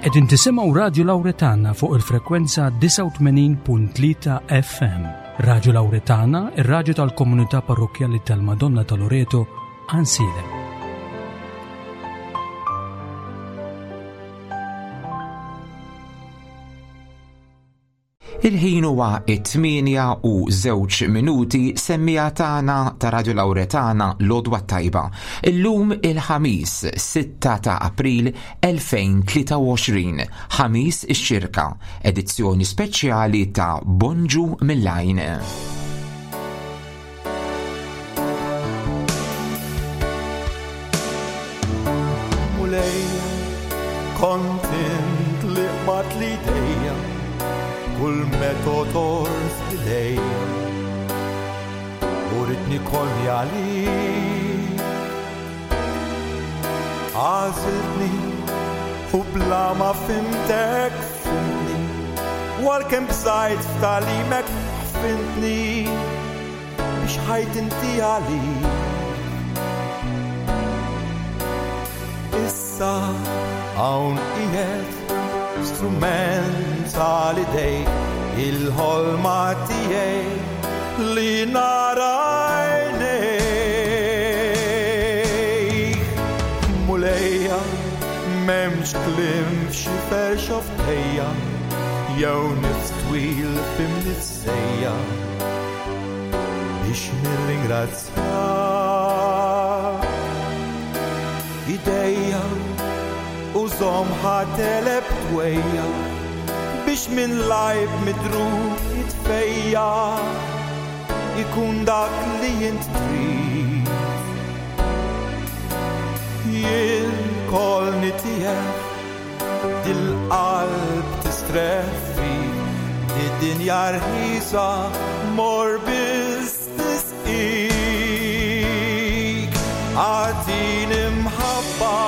Qegħdin tisimgħu Radju Lawretana fuq il-frekwenza 89.3 FM. Radju Lawretana, ir-radju tal-komunità parrokkjali tal-Madonna ta' Loreto, Għansielem. Il-ħin huwa it-8 u żewġ minuti semmija tagħna ta' Radio Lauretana l-Odwa Tajba. Illum il-Ħamis 6 ta' April 2023, Ħamis ix-Xirka, edizzjoni speċjali ta' Bonġu mill-Għajn. Mulej, kont int li qbadt li dejja, kull metodor f'idejja, u ridni kolli għalik. Għażiltni u bla ma fimtek fimtni, u għalkemm bżajt f'tagħlimek ħfintni biex ħajt inti għalik. Issa hawn qiegħed strument tal-idej il-ħolma tiegħi li nara għajnejk. Mulejja m'hemmx kliem f'xifer xofftejja jew nifs twil f'imnifsejja biex nirringrazzjak. Idejja użhom ħa teleb twejja biex minn lajb midrub jitfejja ikun dak li int trid. Jien kolni tiegħek dil-qalb tistrieħ fik, di-dinja rħisa mor biss tisqik. Agħtini mħabba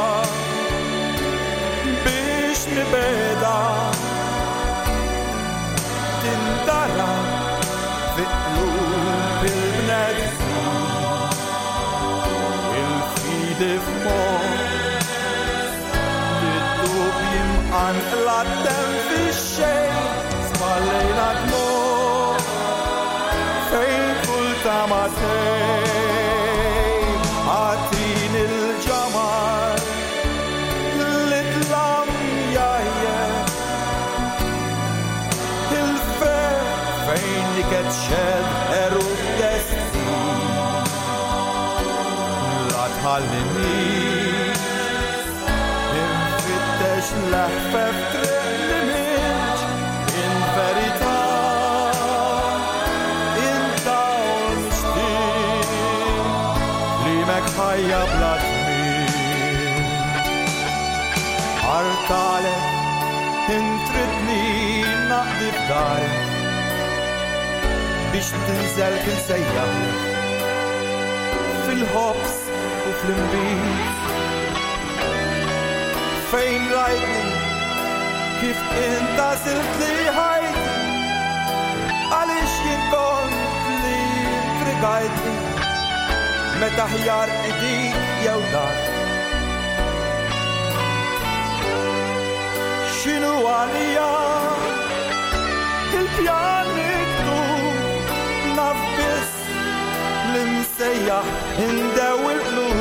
biex nibeda tindara fi qlub il-bnedmin. Il-fidi f'moħħ id-dubji mqanqla d-demm fix-xejn spallejna dmugħ fejn kull tama tgħib. Agħtini l-ġamar li dlam jgħajjeb il-ferħ fejn niket xed għeruq destin. La tħallinix infittex l-eħfef triq li m'intx int verità, int dawl mixtieq, kliemek ħajja bla tmiem. Artalek int tridni naqdi f'darek biex tinżel kien sejjaħlek fil-ħobż u fl-inbid. Fejn rajtni kif int għażilt li ħajti għaliex jien kont li intrigajtni meta ħjar idik jew dak. X'inhu għalija il-pjan miktub naf biss li msejjaħ indew il-qlub.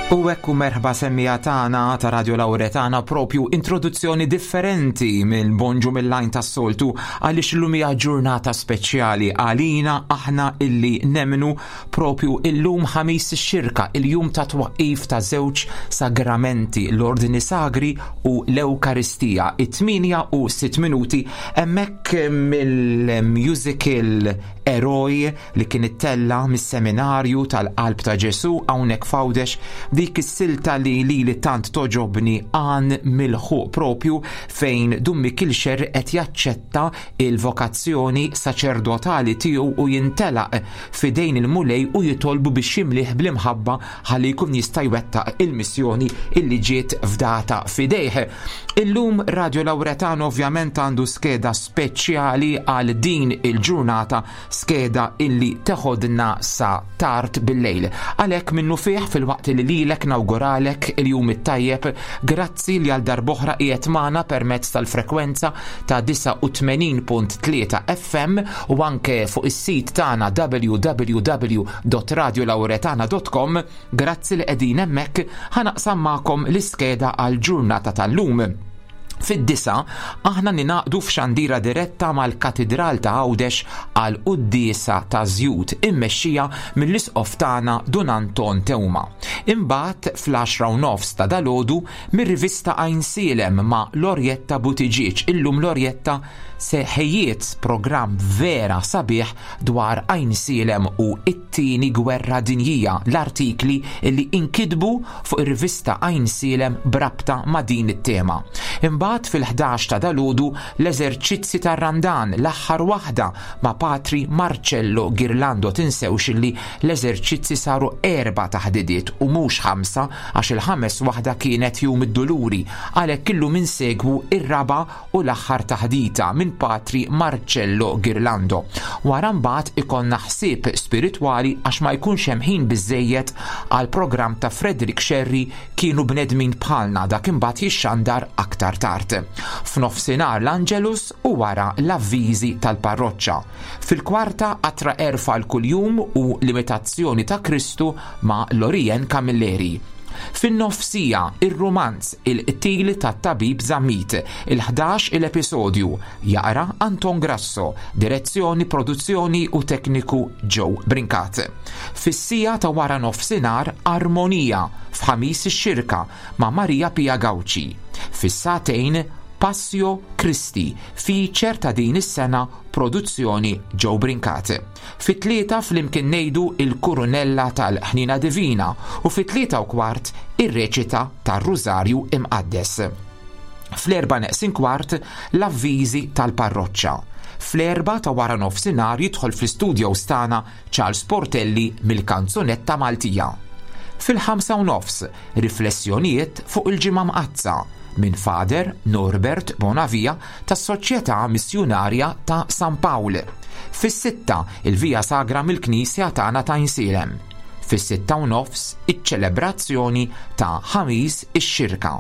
U ekku merħba semmija tagħna ta' Radio Lauretana propju introduzzjoni differenti minn Bonġu mill-lajn tas-soltu għaliex illum hija ġurnata speċjali għalina aħna illi nemnu Propju illum Ħamis ix-Xirka, il-jum ta' twaqqif ta' żewġ sagramenti, l-Ordni Sagri u l-Ewkaristija. It-8 u 6 minuti hemmhekk mill-musical Eroj li kien ittella mis-seminarju tal-Qalb ta' Ġesu hawnhekk f'Għawdex. dik is-silta li lili tant toġobni għan milħuq propju fejn Dun Mikiel Xerri qed jaċċetta il-vokazzjoni saċerdotali tiegħu u jintelaq f'idejn il-Mulej u jitolbu biex jimlih bl-imħabba ħalli jkun jista' jwettaq il-missjoni illi ġiet fdata f'idejh. Illum Radio Lauretano ovvjament għandu skeda speċjali għal din il-ġurnata, skeda illi teħodna sa tard bil-lejl. Għalhekk minnu fih filwaqt li lilek nawguralek il-jum it-tajjeb, grazzi li għal darb'oħra qiegħed magħna permezz tal-frekwenza ta' 89.3 FM u anke fuq is-sit tagħna www.radiolauretana.com. Grazzi li qegħdin hemmhekk ħa naqsam magħkom l-iskeda għall-ġurnata tal-lum. Fid-disa, aħna ninaqdu f'xandira diretta mal-Katidral ta' Għawdex għal quddiesa ta' żjut immexxija mill-Isqof tagħna Dun Anton Teuma. Imbagħad fl-għaxra u nofs ta' dalgħodu mir-rivista Għajnsielem ma' Lorjetta Buttigieg. Illum Lorjetta se ħejjiet programm vera sabiħ dwar Għajnsielem u t-Tieni Gwerra Dinjija, l-artikli li inkitbu fuq ir-rivista Għajnsielem b'rabta ma' din it-tema. Imbagħad fil-ħdax ta' dalgħodu l-eżerċizzi tar-Randan, l-aħħar waħda ma' Patri Marcello Ghirlando. Tinsewx illi l-eżerċizzi saru 4 taħdidiet u mhux 5 għax il-ħames waħda kienet Jum id-Duluri, għalhekk illum insegwu r-raba' u l-aħħar taħdita minn Patri Marcello Ghirlando. Wara mbagħad ikollna ħsieb spiritwali għax ma jkunx hemm ħin biżżejjed għall-programm ta' Frederick Scerri Kienu Bnedmin Bħalna, dak imbagħad jixxandar aktar tard. F'nofsinhar l-Angelus u wara l-avviżi tal-parroċċa. Fil-kwarta qatra għerf għal kuljum u l-imitazzjoni ta' Kristu ma' Lorien Camilleri. Fin-nofsija, ir-rumanz Il-Qtil tat-Tabib Zammit, il-ħdax il-episodju, jaqra Anton Grasso, direzzjoni, produzzjoni u tekniku Joe Brincat. Fis-siegħa ta' wara nofsinhar Armonija f'Ħamis ix-Xirka ma' Maria Pia Gauci. Fis-sagħtejn Passio Christi, feature ta' din is-sena produzzjoni Joe Brincat. Fit-tlieta flimkien ngħidu il-Kurunella tal-Ħniena Divina u fit-tlieta u kwart ir-reċita tar-Rużarju Imqaddes. Fl-erba' neqsin kwart l-avviżi tal-parroċċa. Fl-erba' ta' wara nofsinhar jidħol fl-istudios tagħna Charles Portelli mill-Kanzunetta Maltija. Fil-ħamsa u nofs, riflessjonijiet fuq il-Ġimgħa Mqaddsa minn Father Norbert Bonavia tas-Soċjetà Missjunarja ta' San Pawl. Fis-sitta, il-Via Sagra mill-Knisja tagħna ta' Għajnsielem. Fis-sitta u nofs, iċ-ċelebrazzjoni ta' Ħamis ix-Xirka.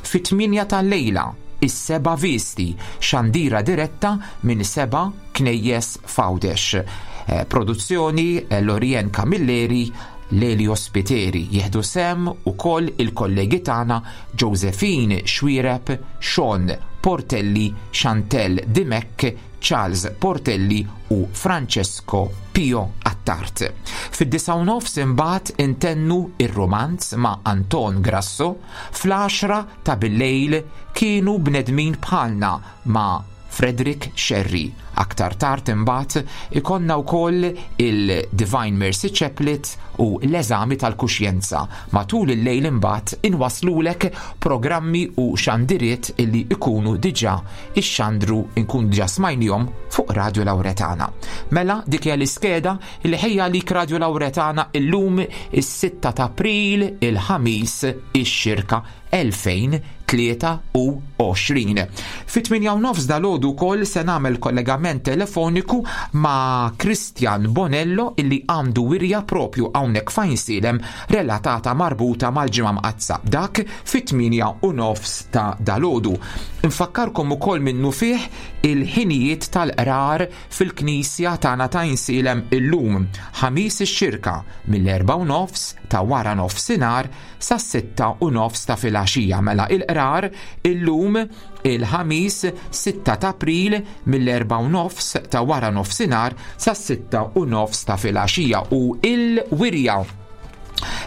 Fit-tmienja tal-lejla, is-seba' visti, xandira diretta minn seba' knejjes f'Għawdex. Eh, produzzjoni eh, Lorien Camilleri, Lelio Spiteri. Jieħdu sehem ukoll il-kollegi tagħna Josephine Xuereb, Sean Portelli, Chantelle Dimech, Charles Portelli u Francesco Pio Attard. Fid-disa' u nofs imbagħad intennu ir-romanz ma' Anton Grasso, fl-għaxra ta' billejl kienu bnedmin bħalna ma' Frederick Scerri. Aktar tard imbagħad ikollna wkoll il-Divine Mercy Chaplet u l-eżami tal-kuxjenza. Matul il-lejl imbagħad inwasslulek programmi u xandiriet illi ikunu diġà ixxandru nkun diġà smajnihom fuq Radio Lauretana. Mela dik hija l-iskeda li ħejja għalik Radio Lauretana illum is-6 ta' April il-Ħamis ix-Xirka 2023. Fit-8 u nofs dalgħodu wkoll se nagħmel kollegament telefoniku ma' Christian Bonello illi għandu wirja propju hawnhekk f'Għajnsielem relatata marbuta mal-Ġimgħa Mqaddsa. Dak fit-8 u nofs ta' dalgħodu. Infakkarkom ukoll minnufih il-ħinijiet tal-qrar fil-Knisja tagħna ta' Għajnsielem illum, Ħamis ix-Xirka, mill-4 u nofs ta' wara nofsinhar sas-sitta u nofs ta' filgħaxija. Mela il-qrar illum il-Ħamis 6 ta' April mill-erba' u nofs ta' wara nofsinhar sas-sitta u nofs ta' filgħaxija u il-wirja.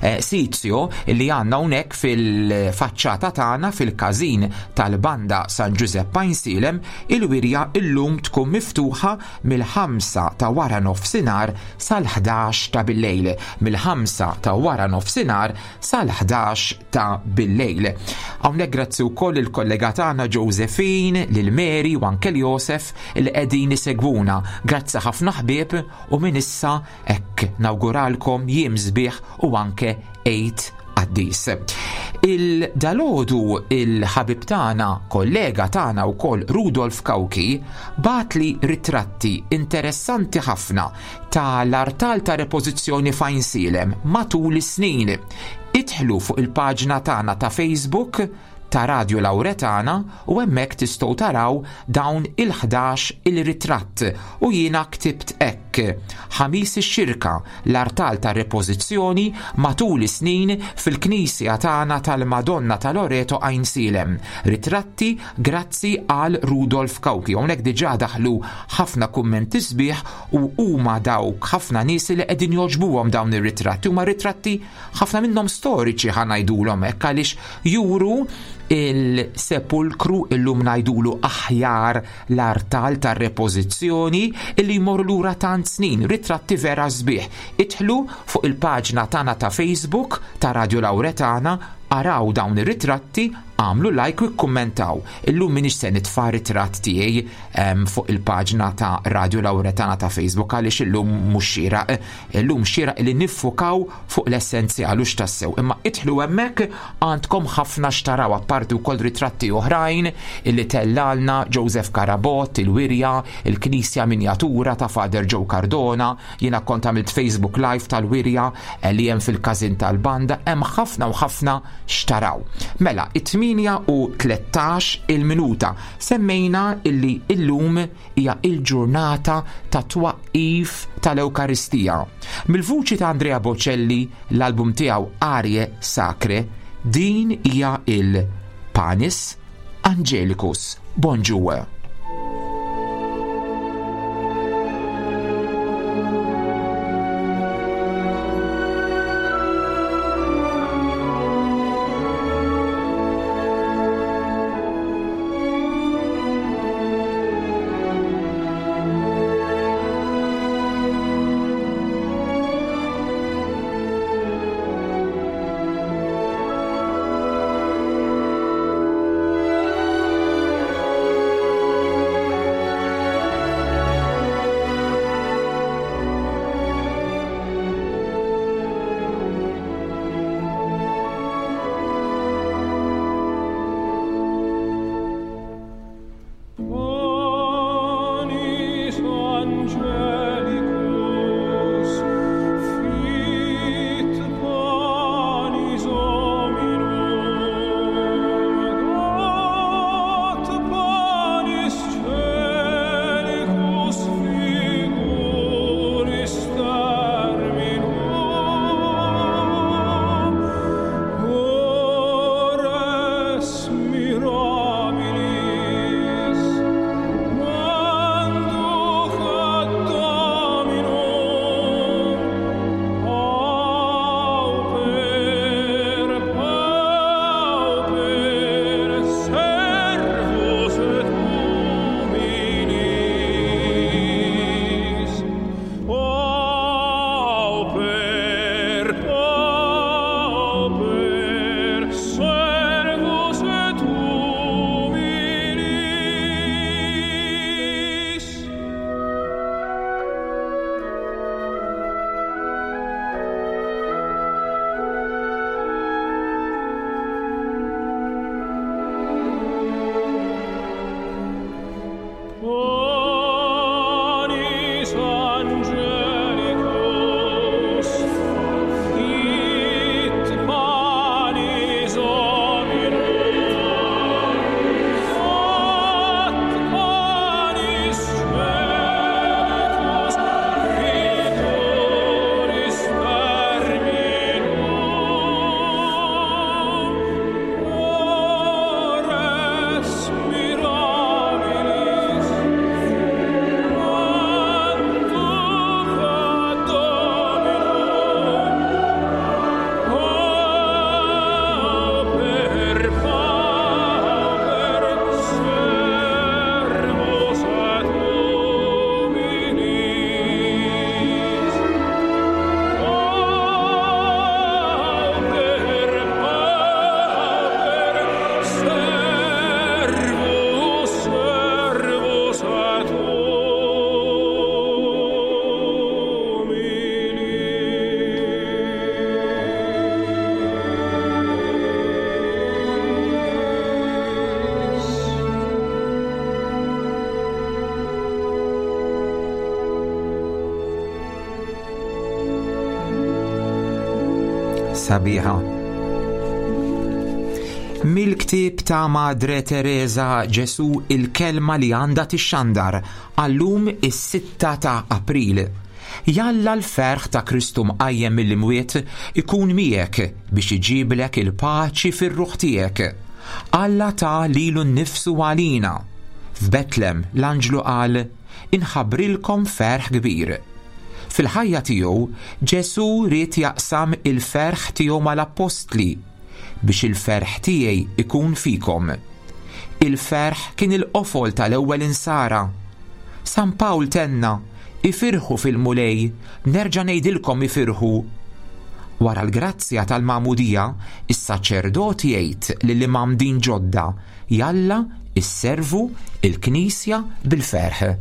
eh, Sizio li għandna hawnhekk fil-faċċata tagħna fil-każin tal-Banda San Ġużepp Għajnsielem, il-wirja illum tkun miftuħa mill-5 ta' wara nofsinhar sal-11 ta' billejl. Mill-5 ta' wara nofsinhar sal-11 ta' billejl. Hawnhekk grazzi wkoll il-kollega tagħna Josephine, lil Mary u anke Josef li qegħdin isegwuna. Grazzi ħafna ħbieb u minn issa Hekk nawguralkom jiem sbieħ u anke Għid qaddis. Il-dalodu il-ħabib tagħna, kollega tagħna wkoll Rudolf Cauchi bagħatli ritratti interessanti ħafna ta' l-artal ta' repożizzjoni f'Għajnsielem matul is-snin. Idħlu fuq il-paġna tagħna ta' Facebook ta' Radio Lauretana u hemmhekk tistgħu taraw dawn il-ħdax il-ritratt u jiena ktibt hekk, Ħamis ix-Xirka, l-artal ta' repożizzjoni matul is-snin fil-knisja tagħna tal-Madonna ta' Loreto Għajnsielem. Ritratti grazzi għal Rudolf Cauchi. Hawnhekk diġà daħlu ħafna kummenti sbieħ u huma dawk ħafna nies li qegħdin jogħġbuhom dawn ir-ritratti. Huma ritratti ħafna minnhom storiċi ħa ngħidulhom hekk għaliex juru il-sepulkru illum ngħidulu aħjar l-artal tar-repożizzjoni illi jmorru lura tant snin, ritratti vera sbieħ. Idħlu fuq il-paġna tagħna ta' Facebook ta' Radio Lauretana, araw dawn ir-ritratti, għamlu like u kkummentaw. Illum minix se nitfa' ritratt tiegħi fuq il-paġna ta' Radio Lauretana ta' Facebook għaliex illum mhux xieraq. Illum xieraq li niffukaw fuq l-essenzjal u x'tassew. Imma idħlu hemmhekk għandkom ħafna x'taraw apparti wkoll ritratti oħrajn illi tellalna Joseph Carabott, il-wirja, il-knisja minjatura ta' Father Joe Cardona, jiena kont għamilt Facebook Live tal-wirja eh, li hemm fil-każin tal-banda, hemm ħafna u ħafna x'taraw. Mela, it-8 u 13 il-minuta semmejna illi illum hija il-ġurnata ta' twaqqif tal-Ewkaristija. Mill-vuċi ta' Andrea Bocelli, l-album tiegħu Arie Sacre, din hija il-Panis Angelicus. Bonġu. Mirabilis, manducat Sabiħa. Mill-ktieb ta' Madre Teresa Ġesu il-kelma li għandha tixxandar għallum is-6 ta' April. Jalla l-ferħ ta' Kristu mqajjem mill-imwiet ikun miegħek biex iġiblek il-paċi fir-ruħ tiegħek. Alla ta lilu nnifsu għalina. F'Betlem l-anġlu qal, Inħabbrilkom ferħ kbir. Fil-ħajja tiegħu, Ġesù ried jaqsam il-ferħ tiegħu mal-appostli, biex il-ferħ tiegħi ikun fikom. Il-ferħ kien il-qofol tal-ewwel insara. San Pawl tenna, Ifirħu fil-Mulej, nerġa' ngħidilkom ifirħu. Wara l-grazzja tal-magħmudija, is-saċerdot jgħid lill-imgħammdin ġodda, Jalla isservu il-Knisja bil-ferħ.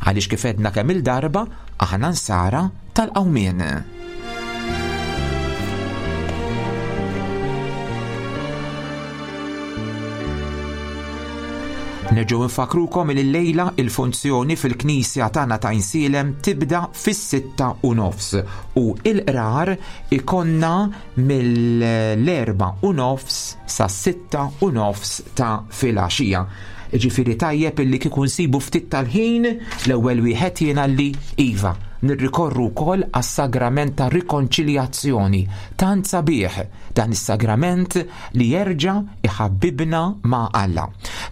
Għaliex kif għedna kemm-il darba, aħna nsara tal-qawmien. Nerġgħu nfakrukom li llejla il-funzjoni fil-Knisja tagħna ta' Insielem tibda fis-6:30 u il-qrar ikonna mill-4:30 sas-6:30 ta' filgħaxija. Ġifieri tajjeb illi kieku nsibu ftit tal-ħin l-ewwel wieħed jiena li iva nirrikorru wkoll għas-sagrament ta' rikonċiljazzjoni tant sabiħ dan is-sagrament li jerġa' iħabbibna ma' Alla.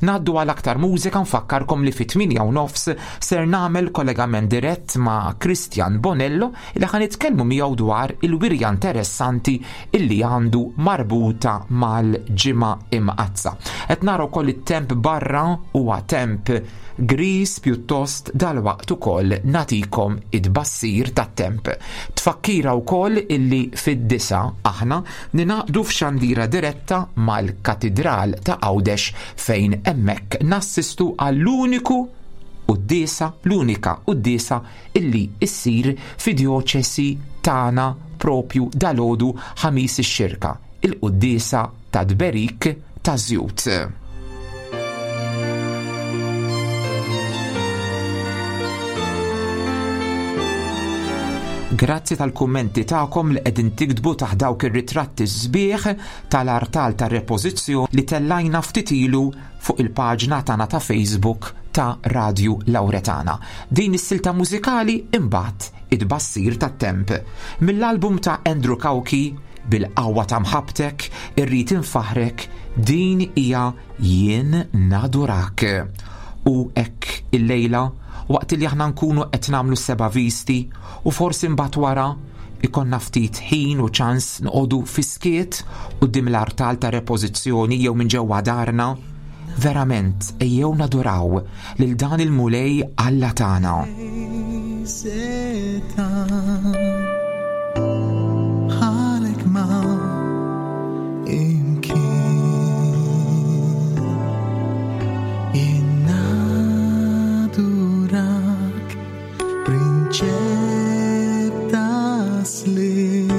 Ngħaddu għal aktar mużika nfakkarkom li fit-8 u nofs ser nagħmel kollegament dirett ma' Christian Bonello li ħa nitkellmu miegħu dwar il-wirja interessanti illi għandu marbuta mal-Ġimgħa Imqaddsa. Qed nara wkoll it-temp barra huwa temp gris pjuttost dalwaqt ukoll nagħtikom it-tbassir tat-temp. Tfakkira wkoll illi fid-9 aħna ninaqdu f'xandira diretta mal-Katidral ta' Għawdex fejn hemmhekk nassistu għall-uniku quddiesa, l-unika quddiesa illi issir fid-djoċesi tagħna propju dalgħodu Ħamis ix-Xirka, il-quddiesa ta' tberik ta' żjut. Grazzi tal-kummenti tagħkom li qegħdin tiktbu taħt dawk ir-ritratti sbieħ tal-artal tar-repożizzjoni li tellajna ftit ilu fuq il-paġna tagħna ta' Facebook ta' Radju Lauretana. Din is-silta mużikali imbagħad it-tbassir tat-temp. Mill-album ta' Andrew Cauchi Bil-qawwa ta' mħabbtek irrid infaħħrek, din hija Jien Nadurak. U hekk illejla, waqt li aħna nkunu qed nagħmlu s-seba' visti u forsi mbagħad wara ikonna ftit ħin u ċans noqogħdu fis-skiet quddiem l-artal ta' repożizzjoni jew minn ġewwa darna, verament ejjew naduraw lil dan il-Mulej Alla tagħna. Bħalek ma imkien Jien nadurak Prinċep ta' sliem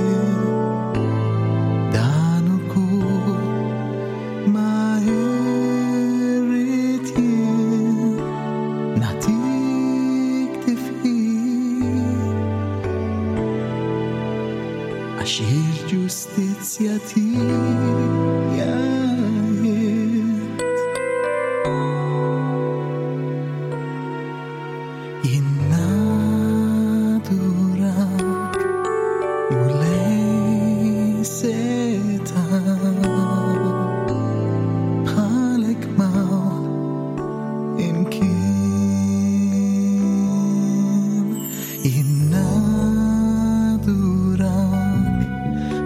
Dan ukoll ma irrid jien Nagħtik tifħir Għax il-ġustizzja tiegħi Jien nadurak Mulej setgħan Bħalek ma imkien Jien nadurak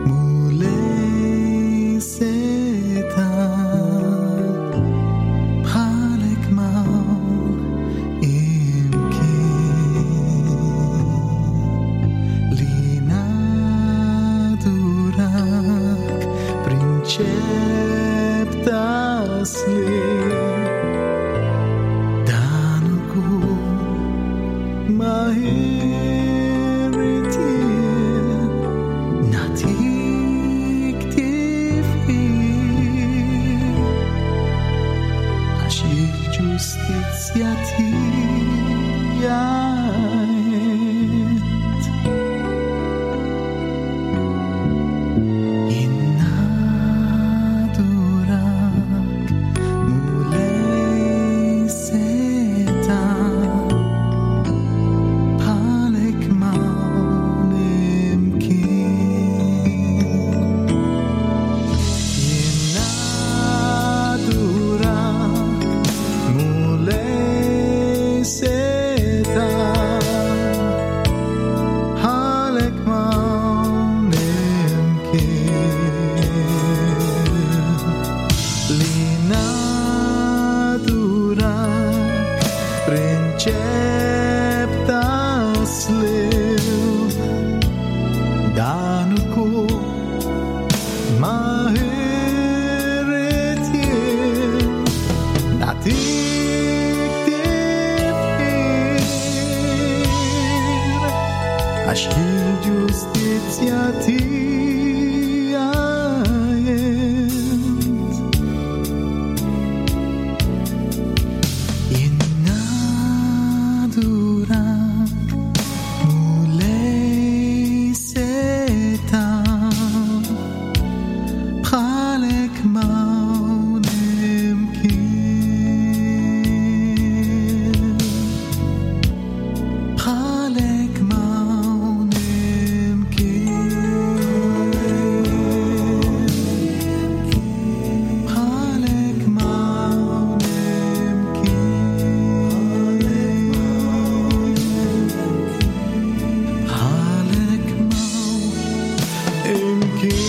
Mulej setgħan Bħalek ma imkien Li nadurak Prinċep ta' sliem Dan ukoll ma irrid jien Nagħtik tifħir Għax il-ġustizzja tiegħi Jien Slil Dan ukoll ma irrid jien nagħtik tifħir għax il-ġustizzja tiegħi int. Jien nadurak Mulej seta' bħalek m'hawn imkien. Bħalek m'hawn imkien. Bħalek m'hawn imkien. Bħalek m'hawn imkien.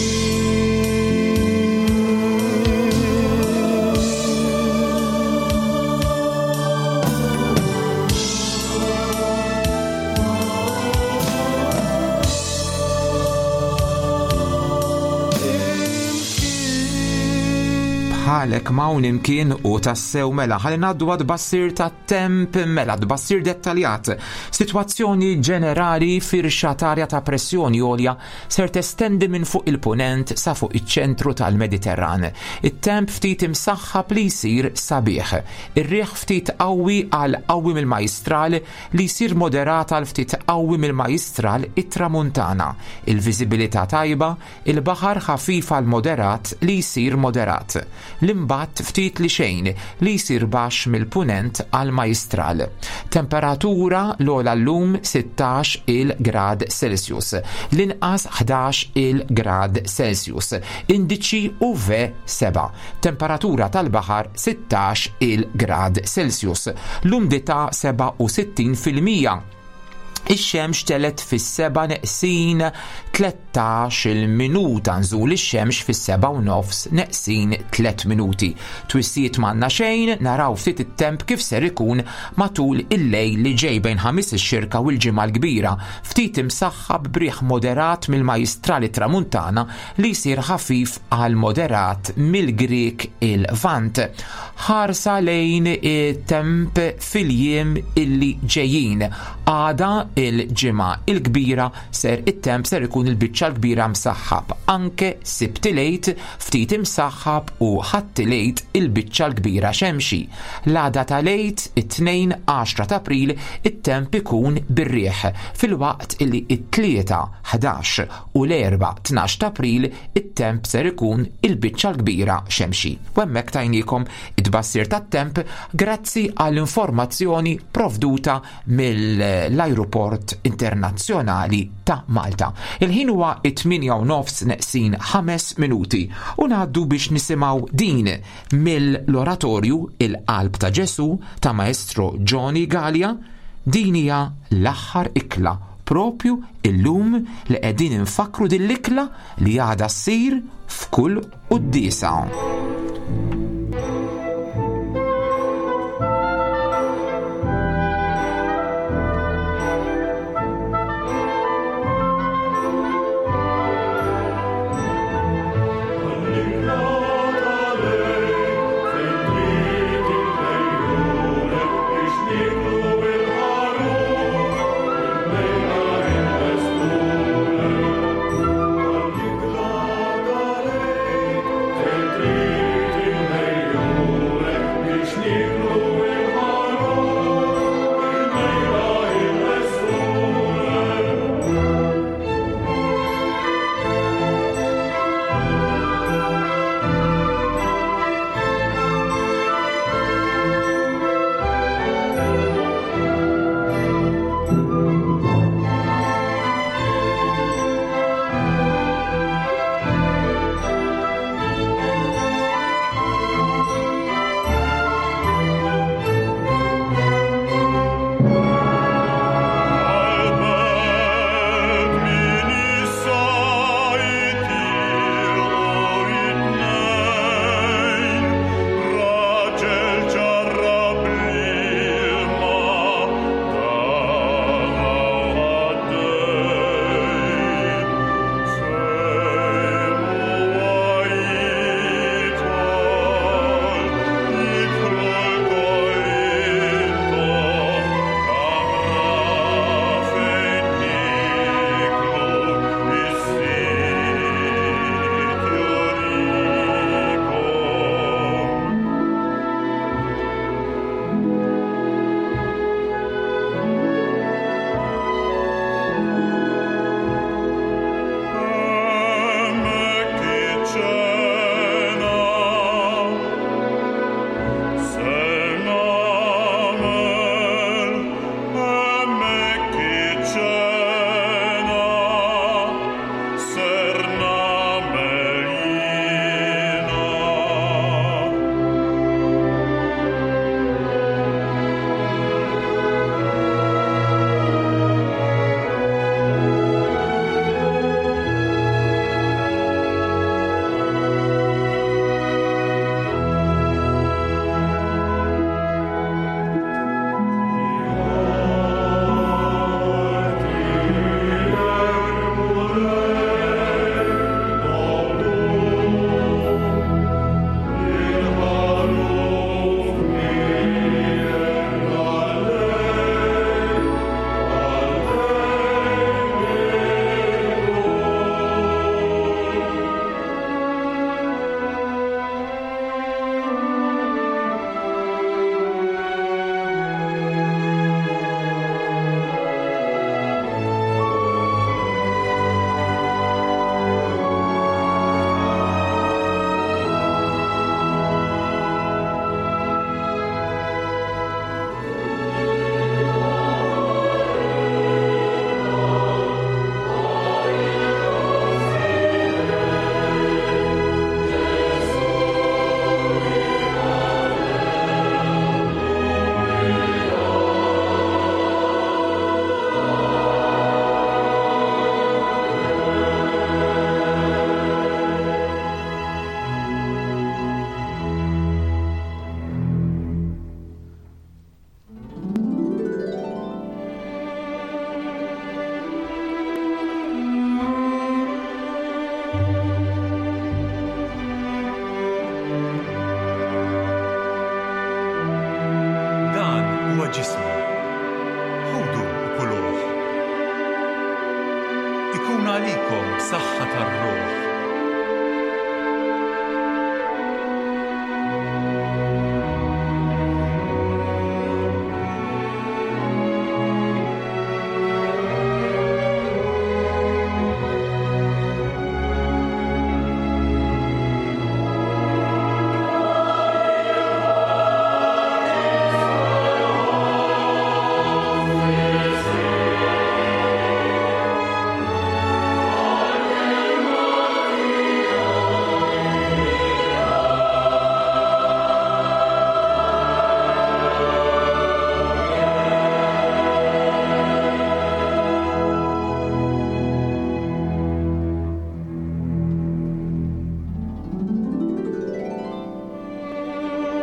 Bħalek m'hawn imkien u tassew mela ħalli ngħaddu għad bassir ta' temp mela tbassir dettaljat. Sitwazzjoni ġenerali firxa t'arja ta' pressjoni għolja ser testendi minn fuq il-punent sa fuq iċ-ċentru tal-Mediterran. It-temp ftit imsaħħab li jsir sabiħ. Ir-riħ ftit qawwi għal qawwi mill-Majstral li jsir moderat għal ftit qawwi mill-Majstral it-Tramuntana. Il-viżibilità tajba, il-baħar ħafif għal moderat li jsir moderat. L-imbatt ftit li xejn li jsir baxx mill-punent għal Majstral. Temperatura l-ogħla llum 16 il grad Celsius, l-inqas 11 il grad Celsius. Indiċi UV 7. Temperatura tal-baħar 16 il grad Celsius. L-umdità 67%. Ix-xemx telgħet fis-seba' neqsin 13-il minuta, nżul ix-xemx fis-seba' u nofs neqsin 3 minuti. Twissijiet m'għandna xejn, naraw ftit it-temp kif ser ikun matul il-lejl li ġej bejn Ħamis ix-Xirka u l-Ġimgħa l-Kbira. Ftit imsaħħab b'riħ moderat mill-Majjistral it-Tramuntana li jsir ħafif għal moderat mill-Grieg il-Lvant. Ħarsa lejn it-temp fil-jiem illi ġejjin. Għada il-Ġimgħa il-Kbira ser it-temp ser ikun il-biċċa l-kbira msaħħab. Anke Sibt il-Għid ftit imsaħħab u Ħadd il-Għid il-biċċa l-kbira xemxi. L-għada tal-Għid, it-Tnejn 10 t'April, it-temp ikun bir-riħ, filwaqt illi it-Tlieta 11 u l-Erbgħa 12 t'April it-temp ser ikun il-biċċa l-kbira xemxi. U hemmhekk tajniekom it-tbassir tat-temp grazzi għall-informazzjoni provduta mill-Ajruport Internazzjonali ta' Malta. Il-ħin huwa it-8 u nofs neqsin 5 minuti u ngħaddu biex nisimgħu din mill-Oratorju Il-Qalb ta' Ġesu ta' Maestro Johnny Galea. Din hija l-aħħar ikla propju illum li qegħdin infakkru din l-ikla li għadha ssir f'kull quddiesa. Jimlikom b'saħħa tar-ruħ.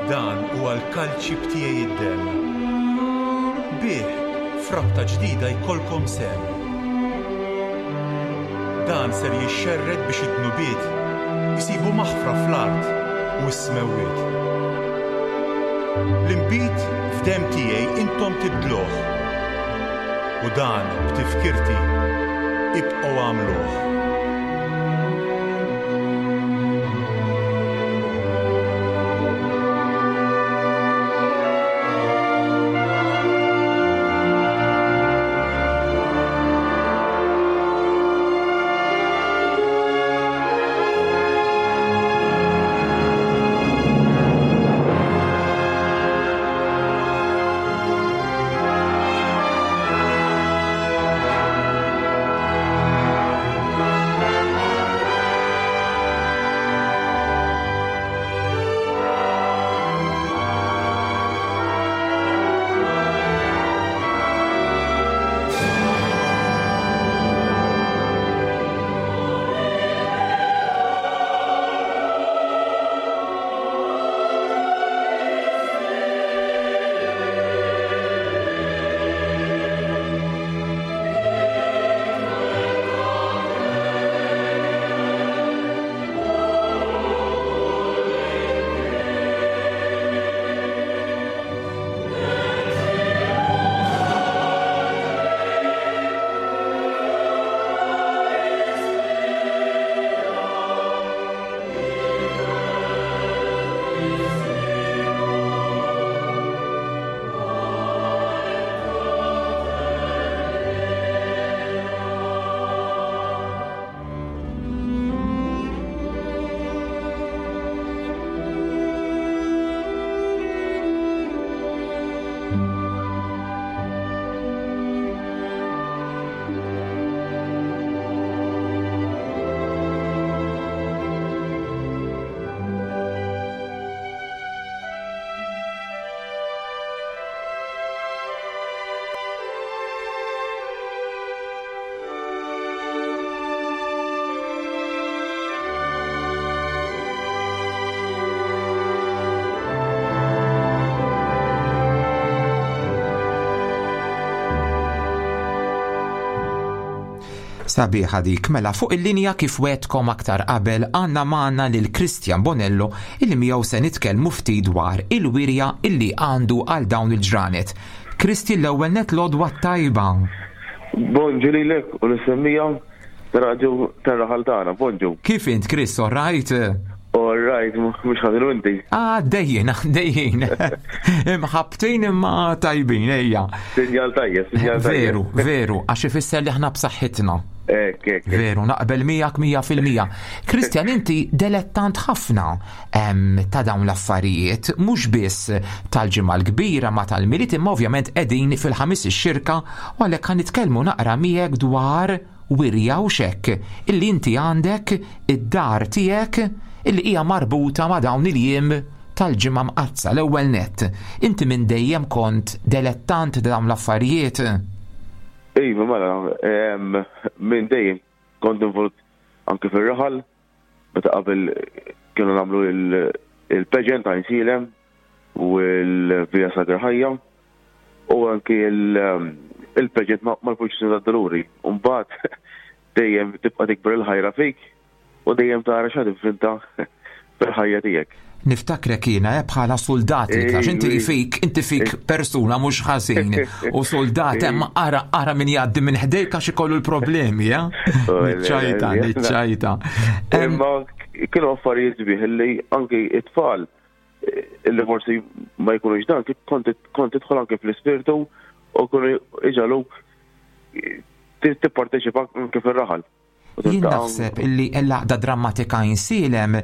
Dan huwa l-kalċi b'tiegħi id-demm. Bih, f'rabta ġdida jkollkom sehem. Dan ser jixxerred biex id-dnubiet isibu maħfra fl-art u s-smewwiet. L-inbid f'demm tiegħi intom tibdluh, u dan b'tifkirti ibqgħu agħmluh. Sabiħa dik, mela fuq il-linja kif wetkom aktar qabel għandna magħna lil Christian Bonello illi miegħu se nitkellmu ftit dwar il-wirja illi għandu għal dawn il-ġranet. Kristi l-ewwel net l-għodwa t-tajba. Bonġu lilek u l-semmija ta' tar-raħal tagħna. Bonġu. Kif int Chris, all right? All right, mhux ħażin u inti. Ah, dejjin, dejjin. Imħabtin imma tajbin, ejja. Sinjal tajjeb, sinjal tajjeb. Veru, veru, għax ifisser li aħna b'saħħitna. Ek, ek. Veru, naqbel miegħek 100%. Kristjan, inti delettant ħafna ta' dawn l-affarijiet, mhux biss tal-Ġimgħa l-Kbira ma tal-Milied, imma ovvjament qegħdin fil-ħamis ix-xirka u għalhekk ħa nitkellmu naqra miegħek dwar wirja u xekk illi inti għandek id-dar tiegħek illi hija marbuta ma' dawn il-jiem tal-Ġimgħa Mqaddsa l-ewwel nett. Inti minn dejjem kont delettant ta' dawn l-affarijiet? Iva, mela, minn dejjem kont involut anke fir-raħal, meta qabel kienu nagħmlu il-pageant ta' Insilem u l-Via Sagra Ħajja u anki il-pageant mal-Purċissjoni tad-Duluri. U mbagħad dejjem tibqa' tikber il-ħajra fik u dejjem tara x'għad ivvinta fil-ħajja tiegħek. Niftakrek jiena eh, bħala soldat li għax inti fik, inti fik persuna mhux ħażin u soldat hemm ara ara min jgħaddi minn ħdejk għax ikollu l-problemi, eh? Niċċajta, niċċajta. Imma kienu affarijiet sbieħ li anki it-tfal eh, li forsi ma jkunux dan, kont tidħol anke fl-ispirtu u kunu iġaluk tipparteċipa anke fir-raħal. Jien naħseb illi l-għaqda drammatika Insielem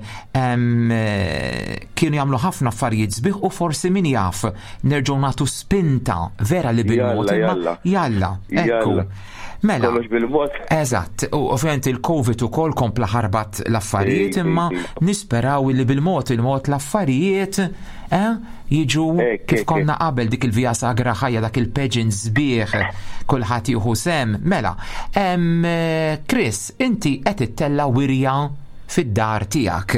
kienu jagħmlu ħafna affarijiet sbieħ u forsi min jaf nerġgħu nagħtu spinta vera li bil-mod imma jalla, ekku. Mela. Kollox bil-mod. Eżatt, u ovvjament il-Covid ukoll kompla ħarbat l-affarijiet imma nisperaw li bil-mod il-mod l-affarijiet eh, jiġu kif konna qabel dik il-Via Sagra ħajja dak il-pageant sbieħ kulħadd jieħu sem. Mela, Chris, inti qed ittella' wirja fid-dar tiegħek.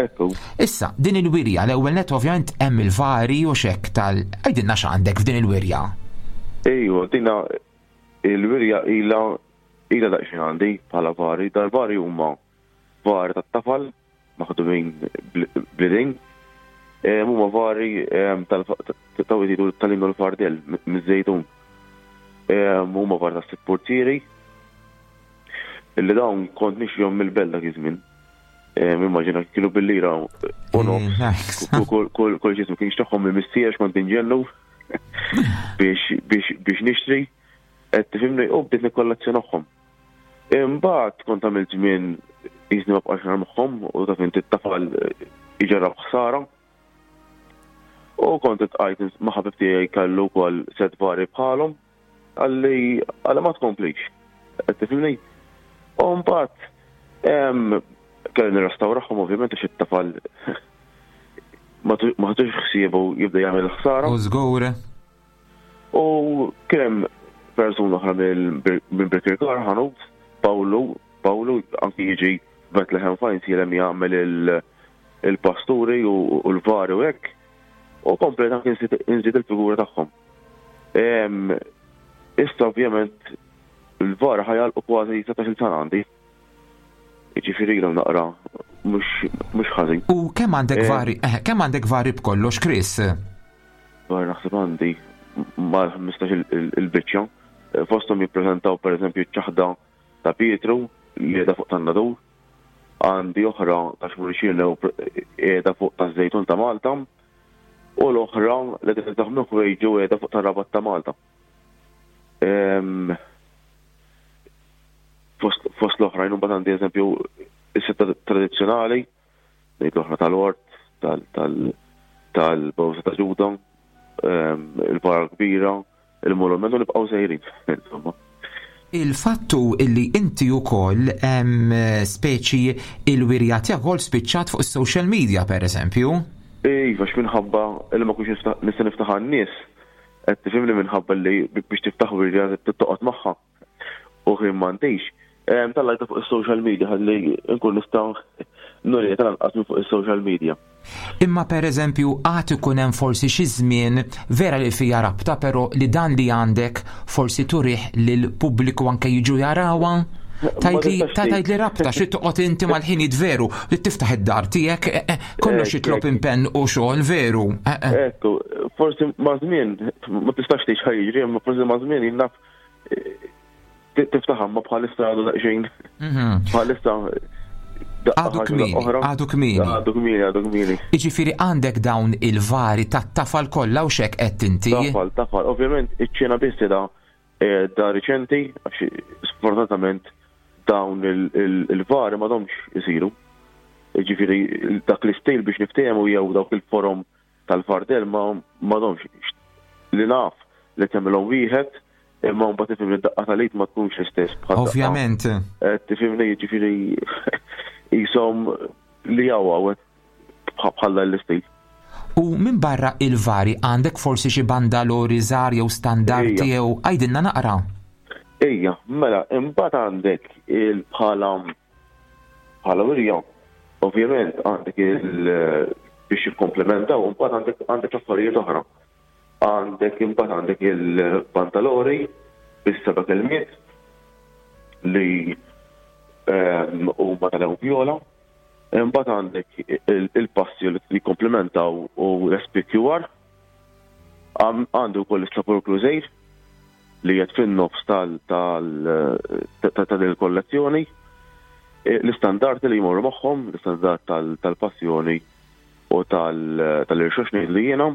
Ekku. Issa, din il-wirja l-ewwel net ovvjament hemm il-vari u xek tal għidilna x'għandek f'din il-wirja. Ejwa, dina il-wirja ila ila daqsxejn għandi bħala vari, dal-vari huma vari tat-tafal maħdumin bl-idejn. Huma vari tal-tawid tal-innu l-fardel miż-żejtun. Huma vari tas-sitt portieri illi dawn kont nixjom mill-belt dak iż-żmien. Immaġina kienu bil-lira u nofs. Kull ġismu kien xtagħhom mill-missier kont inġennu biex nixtri. Qed tifhimni u bdejt nikkollazzjonahom. Imbagħad kont għamilt żmien jiżni ma bqax nar magħhom u taf inti t-tafal iġarrab ħsara. U kont itqajt ma' ħabib tiegħi kellu wkoll set vari bħalhom għalli għalli ma tkomplix. Qed tifhimni? U mbagħad kelli nirrestawrahom ovvjament għax it-tafal ma ħadux ħsiebu jibda jagħmel ħsara. U żgur. U kien hemm persuna oħra minn Birkirkara ħanut, Pawlu, Pawlu anki jiġi Bethlehem Fines jilem jagħmel il-pasturi u l-vari u hekk. U komplet anki nżid il-figura tagħhom. Issa ovvjament il-vara ħajalqu kważi 17 sena għandi. Jiġifieri ilhom naqra mhux ħażin. U kemm għandek eh. vari, eh, kemm għandek vari b'kollox, Chris? Vari naħseb għandi mal-15 il-biċċa. Eh, fosthom jippreżentaw pereżempju ċ-ċaħda ta' Pietru li qiegħda fuq tan-Nadur. Għandi oħra ta' Xmurxin qiegħda fuq taż-Żejtun ta' Malta u l-oħra li qed daħmu ħwejġu qiegħda fuq tar-Rabat ta' Malta. Fost l-oħrajn, mbagħad għandi eżempju is-setta tradizzjonali, ngħid l-oħra tal-ort, tal-bawsa ta' ġuda, il-vara kbira, il-monument u nibqgħu sejrin, insomma. Il-fattu illi inti wkoll speċi il-wirja tiegħek ukoll spiċċat fuq is-social media pereżempju. Iva, minħabba li ma kunx nista' niftaħ għan-nies, qed tifhimni minħabba li biex tiftaħ wirja toqgħod magħha. U ħin m'għandix. Tallajta fuq is-social media ħalli nkun nista' nuri tal-anqas minn fuq is-social media. Imma per eżempju għad ikun hemm forsi xi żmien vera li fija rabta però li dan li għandek forsi turih lil pubbliku anke jiġu jarawha? Tajt li rabta xi toqgħod inti mal-ħinijiet veru li tiftaħ id-dar tiegħek eh, eh, kollox jitlob impenn u xogħol veru. Eh, Ekku, forsi ma' żmien ma tistax tgħix ħajġri, imma forsi ma' żmien jien naf tiftaħ ma bħalissa għadu daqsxejn. Mhm. Bħalissa Għadu kmini, għadu kmini. Għadu kmini, għadu kmini. Iġifiri għandek dawn il-vari ta' tafal kollha u xek qed inti. Tafal, tafal. Ovvjament iċ-ċena biss da eh, da riċenti, għax sfortunatament dawn il-vari ma domx isiru. Iġifiri dak l-istil biex niftehmu jew dawk il-forom tal-fardel ma m'għadhomx li naf li tagħmilhom wieħed imma mbagħad tifhimni d-daqqa tal-id ma tkunx l-istess bħal Ovvjament. Eh, tifhimni jiġifieri jisom li hawn bħal l-istil. U minn barra il-vari għandek forsi xi bandalori żgħar jew standardi jew għidilna naqra. Ejja, mela, imbagħad għandek il-bħala Bħala wirja, ovvjament għandek il biex jikkomplementaw, imbagħad għandek għandek affarijiet oħra. Għandek imbagħad għandek il-pantalori bis-seba' kelmiet li ehm, huma tal-ewvjola. Imbagħad għandek il-passi li jikkomplementaw u l-SPQR. Għandu wkoll is-Sepulkru Żgħir li qed fin-nofs tal ta' din il-kollezzjoni. E, l-istandardi li jmorru magħhom, l-istandard tal-passjoni u tal-irxox ngħidlu jiena.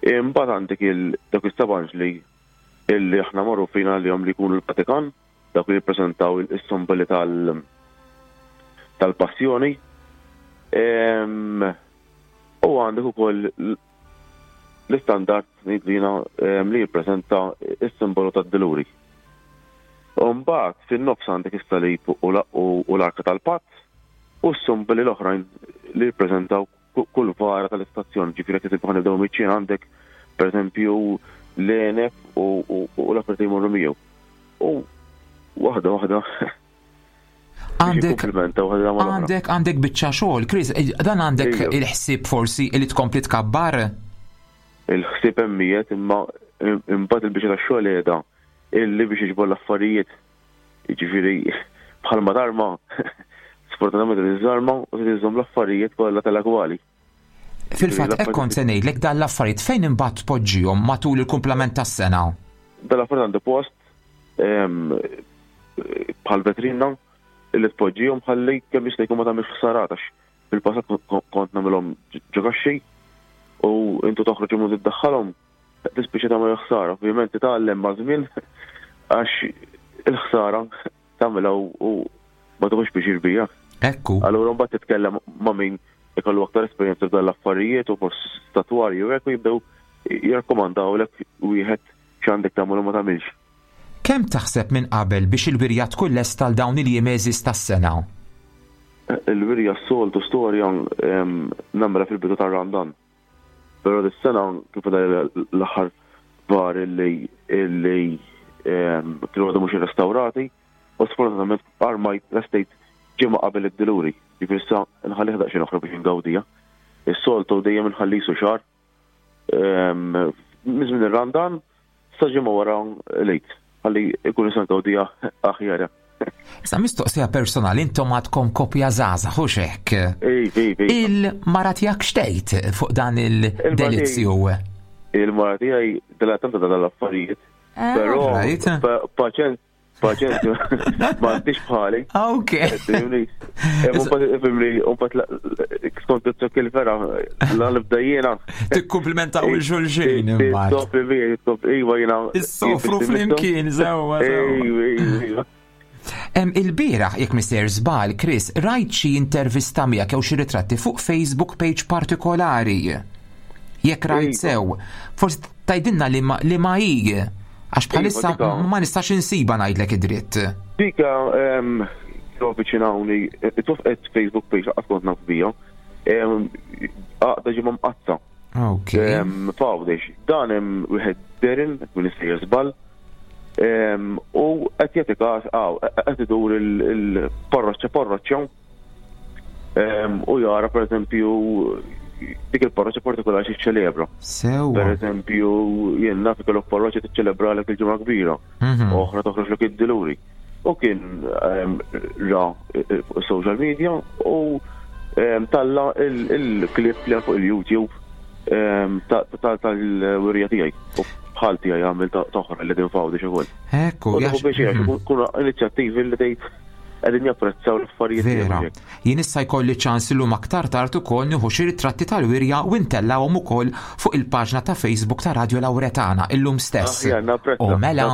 Imbagħad għandek il-dak is-sabanġli illi aħna magħrufin għalihom li jkunu l-Vatikan, dawk li jippreżentaw is-simboli tal tal-passjoni. U għandek ukoll l-istandard ngħidlu jiena li jippreżenta s-simbolu tad-Diluri. U mbagħad fin-nofs għandek is-salib u l-arka tal-patt u s-simboli l-oħrajn li jippreżentaw kull vara tal-istazzjon, ġifieri jekk eżempju ħanibdew miċ-ċina għandek pereżempju l-għeneb u l-affarijiet li jmorru miegħu. U waħda waħda Għandek għandek għandek biċċa xogħol, Chris, eh, dan għandek il-ħsieb forsi li tkompli tkabbar? Il-ħsieb hemmijiet imma imbagħad il-biċċa tax-xogħol qiegħda illi biex iġbor l-affarijiet. Jiġifieri bħalma tarma sfortunatament iżżarma u trid iżżomm l-affarijiet kollha tal-agwali. Fil-fatt hekk kont se ngħidlek dan l-affarijiet fejn imbagħad tpoġġihom matul il-kumplament tas-sena? Dan l-affarijiet għandu post bħal vetrina li tpoġġihom ħalli kemm jista' jkun ma tagħmilx ħsarat għax fil-passat kont nagħmilhom ġo kaxxi u intu toħroġ u tiddaħħalhom tispiċċa tagħmel ħsara. Ovvjament titgħallem maż-żmien għax il-ħsara tagħmilha u ma tieħux pjaċir bija. Ekku. Allura mbagħad titkellem ma' min ikollu aktar esperjenza f'dan l-affarijiet u forsi statwarju hekk u jibdew jirrakkomandawlek wieħed x'għandek tagħmel u ma tagħmilx. Kemm taħseb minn qabel biex il-wirja tkun lesta għal dawn il-jiem għeżież tas-sena? Il-wirja s-soltu storja nagħmilha fil-bidu tar-Randan. Però dis-sena kif l-aħħar var illi illi kienu għadhom mhux irrestawrati u sfortunatament armajt lestejt ġimgħa qabel id-diluri. Ġifieri issa nħallih daqsxejn oħra biex ingawdija. Is-soltu dejjem inħallisu xahar minn żmien ir-Randan sa ġimgħa wara l-Għid ħalli jkun nista' ngawdiha aħjar. Sa mistoqsija personali, intom għadkom kopja żgħażagħ hux hekk? Il-mara tiegħek xtejt fuq dan il-delizzju? Il-mara tiegħi dilettanta ta' dal-affarijiet. Ah, Però paċenza Paċenzja, ma għandix bħali. Ah, ok. Fimni, un bat skont it-tokk il-vera, l-nibda jiena. Tikkumplimenta u xulxin. Topli bija, iva jiena. Is-sofru flimkien, sewa. Iva, Il-bieraħ, jekk mister żball, Chris, rajt xi intervista miegħek jew xi ritratti fuq Facebook page partikolari. Jekk rajt iva. sew, forsi tgħidilna li ma, li ma hi għax bħalissa iva, ma nistax insiba ngħidlek id-dritt. Dika kienu avviċinawni, twaffqet Facebook page laqas kont naf bija, għaqda ġimgħa mqatta. Ok. F'Għawdex, dan hemm wieħed Darren, minn issejjer żball, u qed jagħti każ qed idur il-parroċċa parroċċa u jara per eżempju dik il-parroċċa partikolari xi ċelebra. Sewa. Per eżempju, jien naf ikollok parroċċa tiċċelebra lek il-ġimgħa kbira, mhm. oħra toħroġ lek id-diluri. U kien ra eh, fuq social media u talla il-klip li fuq il-YouTube tal-wirja tiegħi. U bħal tiegħi għamil toħra li din fawdi xi ukoll. Ekku, biex mhm. kuna inizjattivi li tgħid qegħdin japprezzaw l-affarijiet. Vera. Jien issa jkolli ċans illum aktar tard ukoll nieħu xi ritratti tal-wirja u ntellgħuhom ukoll fuq il-paġna ta' Facebook ta' Radio Lauretana illum stess. Aħjar, napprezza. U mela,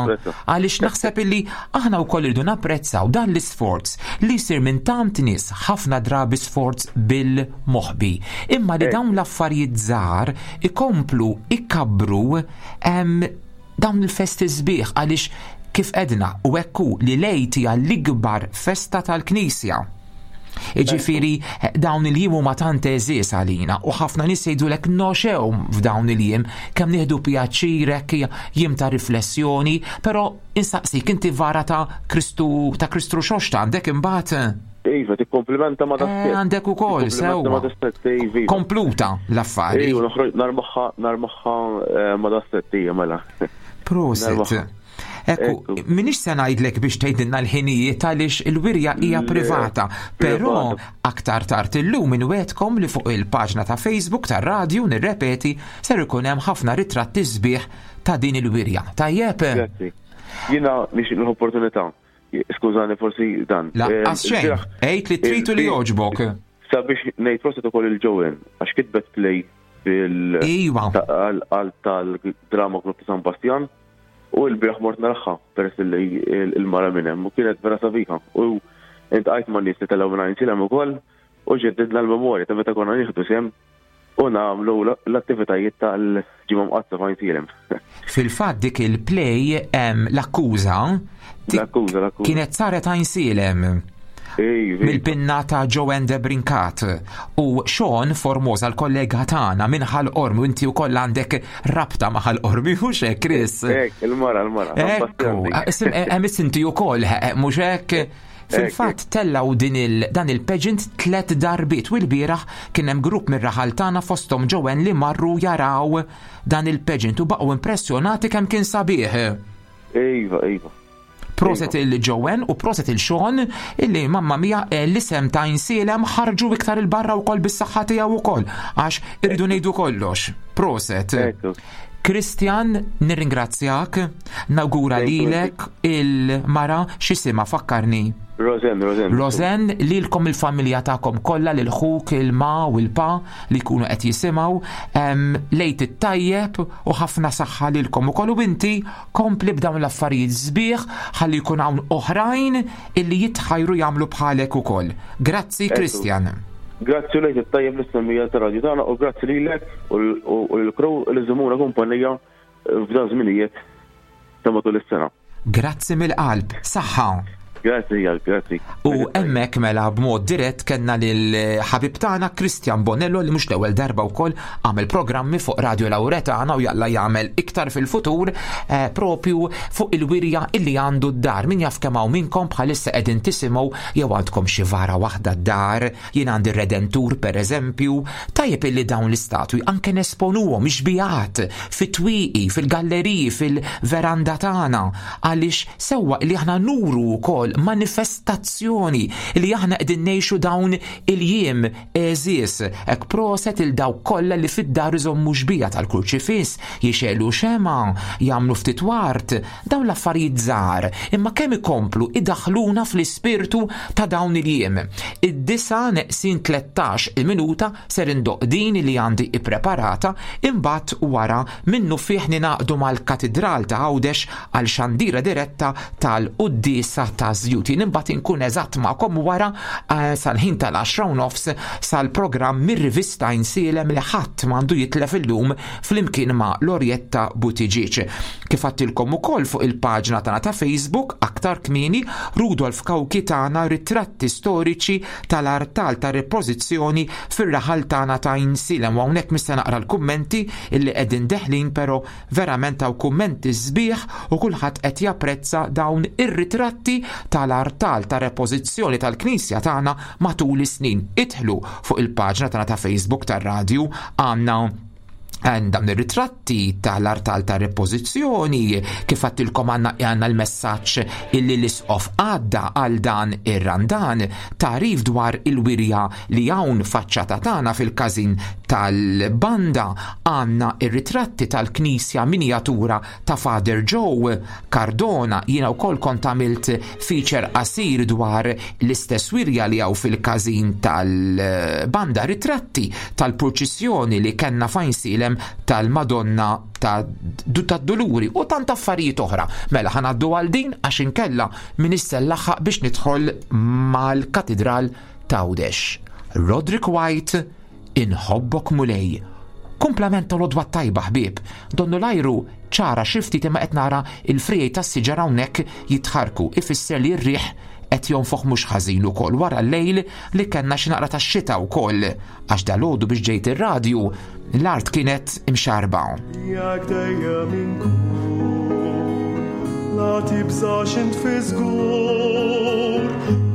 għaliex naħseb illi aħna wkoll irridu napprezzaw dan l-isforz li jsir minn tant nies ħafna drabi sforz bil-moħbi. Imma li dawn l-affarijiet żgħar ikomplu ikabbru dawn il-festi sbieħ għaliex kif edna u hekk hu li l-Għid hija l-ikbar festa tal-Knisja. Iġifieri dawn il-jiem huma tant għeżież għalina u ħafna nies jgħidulek noxew f'dawn il-jiem kemm nieħdu pjaċir hekk jiem ta' riflessjoni, però insaqsik inti vara ta' Kristu ta' Kristu Rxoxt għandek imbagħad? Iva, tikkomplimenta ma' dak. Eh, għandek ukoll, sewwa. Iva. Kompluta l-affari. Iva, noħroġ narmaħħa, narmaħħa eh, ma' dak hija mela. Prosit. Ekku, minix se ngħidlek biex tgħidilna l-ħinijiet għaliex il-wirja hija privata, però aktar tard illum inwedkom li fuq il-paġna ta' Facebook tar-radju nirrepeti ser ikun hemm ħafna ritratti sbieħ ta' din il-wirja. Tajjeb? Grazzi. Jiena nixtieq l-opportunità. Skużani forsi dan. Laqqas xejn. Għid li trid u li jogħġbok. Sabiex ngħid proset ukoll il-Joanne għax kitbet play fil Iva. għal tal-drama Club ta' San Bastian u l-bieraħ mort naraħħa peress li il-mara minn hemm u kienet vera sabiħa u intqajt ma' nies li telgħu minn Għajnsielem ukoll u ġeddidna l-memorja ta' meta konna nieħdu sehem u nagħmlu l-attivitajiet tal-Ġimgħa Mqaddsa f'Għajnsielem. Fil-fatt dik il-play l-akkuża L-akkuża, l-akkuża. Kienet saret Għajnsielem. Mill-pinna ta' Joanne de Brincat u Sean Formosa l-kollega tagħna minn Ħal Qormi u inti wkoll għandek rabta ma' Ħal Qormi mhux hekk Chris? Hekk, il-mara, il-mara. Ekku, hemm inti wkoll mhux hekk? Fil-fatt tellgħu din il dan il-pageant tlett darbiet u l-bieraħ kien hemm grupp mir-raħal tagħna fosthom Joanne li marru jaraw dan il-pageant u baqgħu impressjonati kemm kien sabiħ. Iva, iva. Proset il Joanne u proset il Sean illi mamma mia eh, l-isem ta' insielem ħarġu iktar il-barra wkoll bis-saħħa tiegħu wkoll għax irridu ngħidu kollox. Proset. Christian, nirringrazzjak, nawgura lilek il-mara x'isima fakkarni. Rosen, Rosen. Rosen, lilkom il-familja tagħkom kollha lil ħuk il-ma u l-pa li jkunu qed jisimgħu, lejt it-tajjeb u ħafna saħħa lilkom ukoll u inti kompli b'dawn l-affarijiet sbieħ ħalli jkun hawn oħrajn illi jitħajru jagħmlu bħalek ukoll. Grazzi Christian. Grazzi u lejt it-tajjeb lis-semmiegħa tar-radju tagħna u grazzi lilek u lill-crew li żżommuna kumpanija f'dan żminijiet ta' matul is-sena. Grazzi mill-qalb. Saħħa. Grazzi għal, grazzi. U hemmhekk mela b'mod dirett kellna lil ħabib tagħna Christian Bonello li mhux l-ewwel darba wkoll għamel programmi fuq Radio Lauretana u jalla jagħmel iktar fil-futur eh, propju fuq il-wirja illi għandu d-dar. Min jaf kemm hawn minnkom bħalissa qegħdin tisimgħu jew għandkom xi vara waħda d-dar, jien għandi redentur per eżempju, tajjeb illi dawn l-istatwi anke nesponuhom ixbijat fit-twieqi, fil-galleriji, fil-veranda tagħna, għaliex sewwa li aħna nuru wkoll manifestazzjoni li aħna qegħdin ngħixu dawn il-jiem għeżież. Hekk proset il dawk kollha li fid-dar iżommu xbija tal-kurċifiss, jixegħlu xemgħa, jagħmlu ftit ward, Dawn l-affarijiet żgħar, imma kemm ikomplu idaħħluna fl-ispirtu ta' dawn il-jiem. Id-disgħa neqsin 13 il-minuta ser indoqq din li għandi ippreparata, imbagħad wara minnufih ningħaqdu mal-Katidral ta' Għawdex għal xandira diretta tal-quddiesa ta' Żjut. Jien imbagħad inkun eżatt magħkom wara eh, sal-ħin tal-għaxra u nofs sal-programm mir-rivista Insielem li ħadd m'għandu jitlef illum flimkien ma' Lorietta Buttigieg. Kif għattilkom ukoll fuq il-paġna tagħna ta' Facebook aktar kmieni, Rudolf Cauchi tana ritratti storiċi tal-artal ta' repożizzjoni fir-raħal tagħna ta' Għajnsielem u hawnhekk mhux se naqra l-kummenti illi qegħdin deħlin però verament hawn kummenti sbieħ u kulħadd qed japprezza dawn ir-ritratti tal-artal ta' repożizzjoni tal-knisja tagħna matul is-snin. Idħlu fuq il-paġna tagħna ta' Facebook tar-radju għandna dawn ir-ritratti tal-artal ta' repożizzjoni kif għattilkom għandna għandna l-messaġġ illi l-isqof għadda għal dan ir-randan tarif dwar il-wirja li hawn faċċata tagħna fil-każin tal-banda għandna ir-ritratti tal-knisja minjatura ta' Father Joe Cardona jiena wkoll kont għamilt feature qasir dwar l-istess wirja li hawn fil-każin tal-banda ritratti tal-purċissjoni li kellna f'Għajnsielem tal-Madonna tad-Duluri u tant affarijiet oħra. Mela ħa ngħaddu għal din għax inkella m'iniex se nlaħħaq biex nidħol mal-Katidral t'Għawdex. Roderick White Inħobbok Mulej. Kumplament tal-għodwa t-tajba ħbieb. Donnu l-ajru ċara xi ftit imma qed nara l-friegħi tas-siġar hawnhekk jitħarrku, ifisser li r-riħ qed jonfoħ mhux ħażin ukoll wara l-lejl li kellna xi naqra tax-xita wkoll għax dalgħodu biex ġejt ir-radju l-art kienet imxarrba. Miegħek dejjem inkun, la tibżax int fi żgur,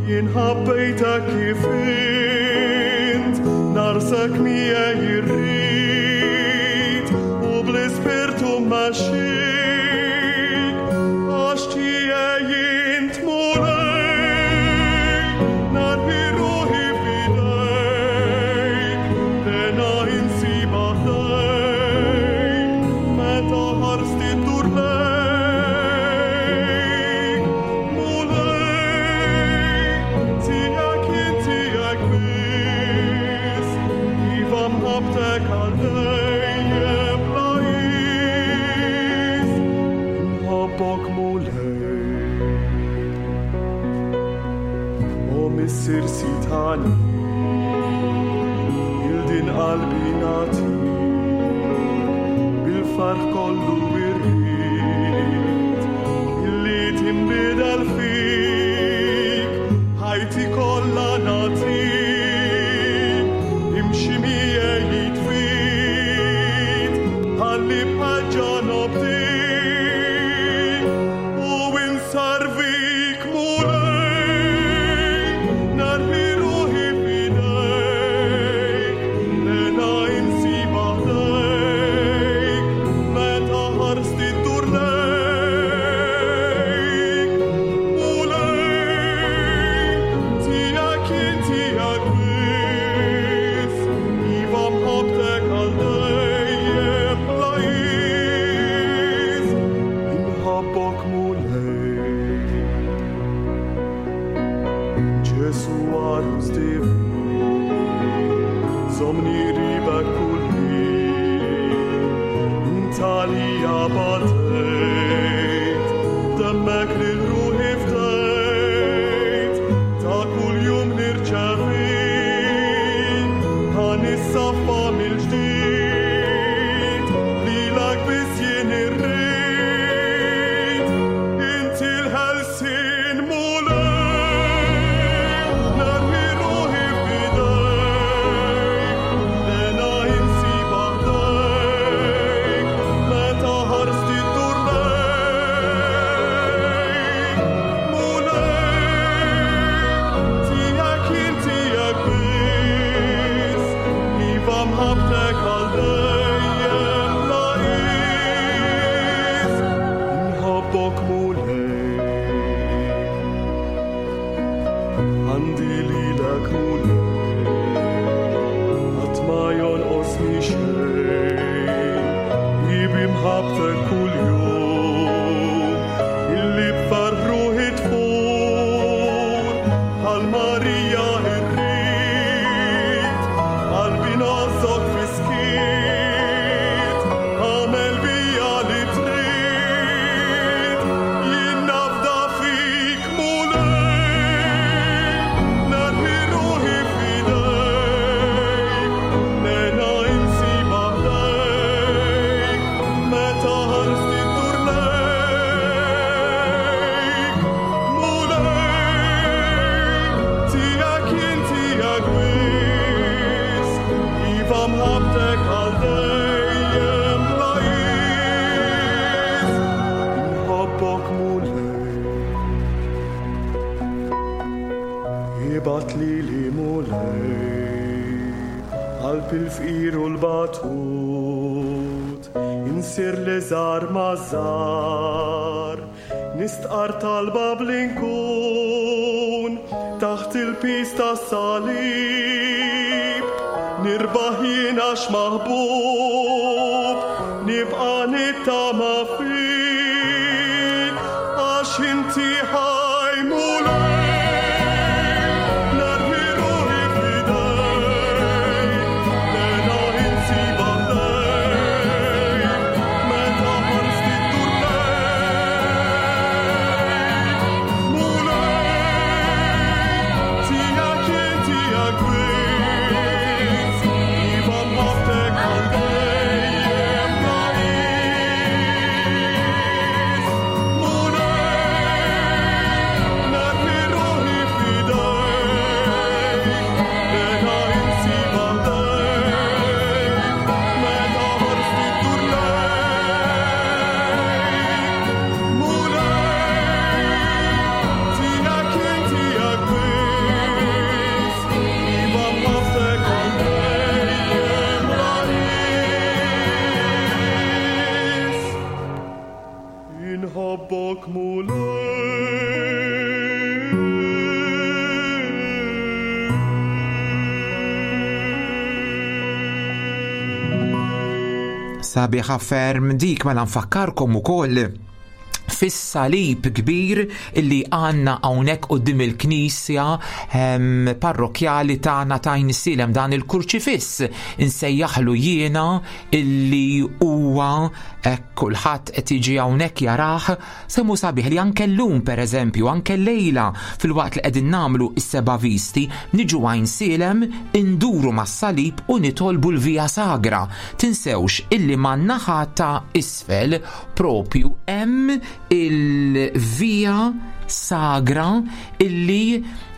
jien ħabbejtek kif int, narsek miegħi rrid, u bl-ispirtu mmexxik, għax. Mulej. O Missier Sitani, il din qalbi nagħti bil-farħ kollu irrid illi tinbidel fik ħajti kollha nagħtik imxi miegħi jitfit ħalli bħal nobdik u insarvik Mulej narmi ruħi f'idejk lena insiba ħdejk meta ħarsti ddur lejk Mulej tiegħek jien tiegħek biss iva mħabbtek għal dejjem bla qies inħobbok Mulej Ġesu għarus divin Żommni qribek kull ħin Int għalija batejt Demmek lil ruħi fdejt Ta' kull jum nirċevik Ħa nissaffa mill-ġdid Lilek biss jien irrid Inti l-ħelsien Mulej Narmi ruħi f'idejk Lena insiba ħdejk Meta ħarsti ddur lejk Mulej Tiegħek jien tiegħek biss Iva mħabbtek għal dejjem bla qies Inħobbok Mulej Għandi lilek Mulej Qatt ma jonqosni xejn Bi mħabbtek kuljum Illi b'ferħ ruħi tfur Bħal Marija irrid Qalbi ngħożżok fis-skiet Agħmel bija li trid Jien nafda fik Mulej Narmi ruħi f'idejk Lena insiba ħdejk Meta ħarsti ddur lejk Mulej Tiegħek jien tiegħek biss Iva mħabbtek għal dejjem bla qies Inħobbok Mulej Ibgħat lili Mulej Qalb il-fqir u l-batut Insir l-iżgħar maż-żgħar Nistqar talba bl-inkun Taħt il-piż tas-salib Nirbaħ jien għax maħbub Nibqa' nittama fik Għax inti ħaj Mulej Narmi ruħi f'idejk Lena insiba ħdejk Meta ħarsti ddur lejk Mulej Tiegħek jien tiegħek biss Iva mħabbtek għal dejjem bla qies Mulej Narmi ruħi f'idejk Lena insiba ħdejk Meta ħarsti ddur lejk Mulej Tiegħek jien tiegħek biss Iva mħabbtek għal dejjem bla qies Inħobbok Mulej Sabiħa ferm dik mela nfakkarkom ukoll. fis-salib kbir illi għandna hawnhekk quddiem il-knisja ehm, parrokjali tagħna ta' Għajnsielem dan il-kurċifiss insejjaħlu jiena illi huwa kulħadd qed jiġi hawnhekk jarah semmu sabiħ li anke llum pereżempju anke lejla filwaqt li qegħdin nagħmlu s-seba' visti niġu Għajnsielem induru mas-salib u nitolbu l-Via Sagra. Tinsewx illi man-naħa ta' isfel propju hemm il-Via Sagra illi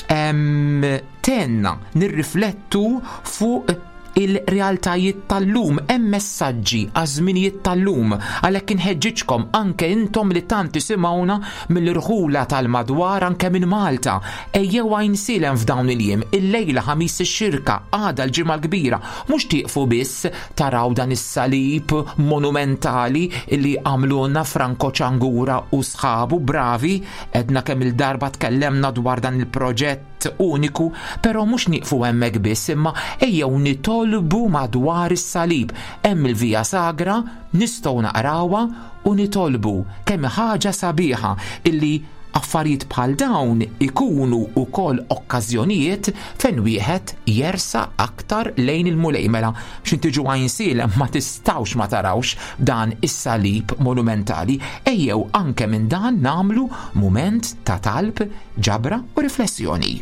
tenna nirriflettu fuq il-realtajiet tal-lum, hemm messaġġi għaż-żminijiet tal-lum, għalhekk inħeġġiġkom anke intom li tant tisimgħuna mill-irħula tal-madwar anke minn Malta. Ejjew Għajnsielem f'dawn il-jiem, illejla Ħamis ix-Xirka, għada l-Ġimgħa l-Kbira, mhux tieqfu biss taraw dan is-salib monumentali li għamlulna Franco Ciangura u sħabu bravi, għedna kemm il-darba tkellemna dwar dan il-proġett uniku, però mhux nieqfu hemmhekk biss imma ejjew nitolbu madwar is-salib. Hemm il-Via Sagra, nistgħu naqrawha u nitolbu. Kemm ħaġa sabiħa illi Affarijiet bħal dawn ikunu wkoll okkażjonijiet fejn wieħed jersaq aktar lejn il-Mulej. Mela, x'in tiġu Għajnsielem ma tistgħux ma tarawx dan is-salib monumentali. Ejjew anke minn dan nagħmlu mument ta' talb, ġabra u riflessjoni.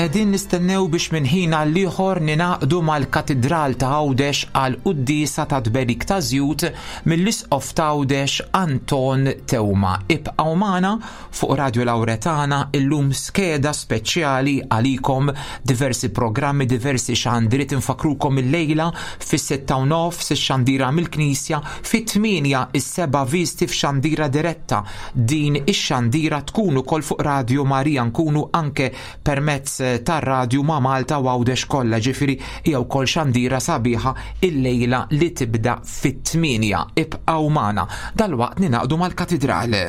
Qegħdin nistennew biex minn ħin għal ieħor ninaqdu mal-Katidral ta' Għawdex għal quddiesa ta' tberik ta' żjut mill-Isqof ta' Għawdex Anton Teuma. Ibqgħu magħna Fuq Radio Lauretana illum skeda speċjali għalikom diversi programmi, diversi xandiriet infakkrukom illejla fis-sitta u nofs ix-xandira mill-Knisja, fit-tmienja is-seba' visti f'xandira diretta. Din ix-xandira tkun ukoll fuq Radio Marija nkunu anke permezz tar-radju ma' Malta u Għawdex kollha, ġifieri hija wkoll xandira sabiħa illejla li tibda fit-tmienja. Ibqgħu magħna. Dalwaqt ningħaqdu mal-Katidral.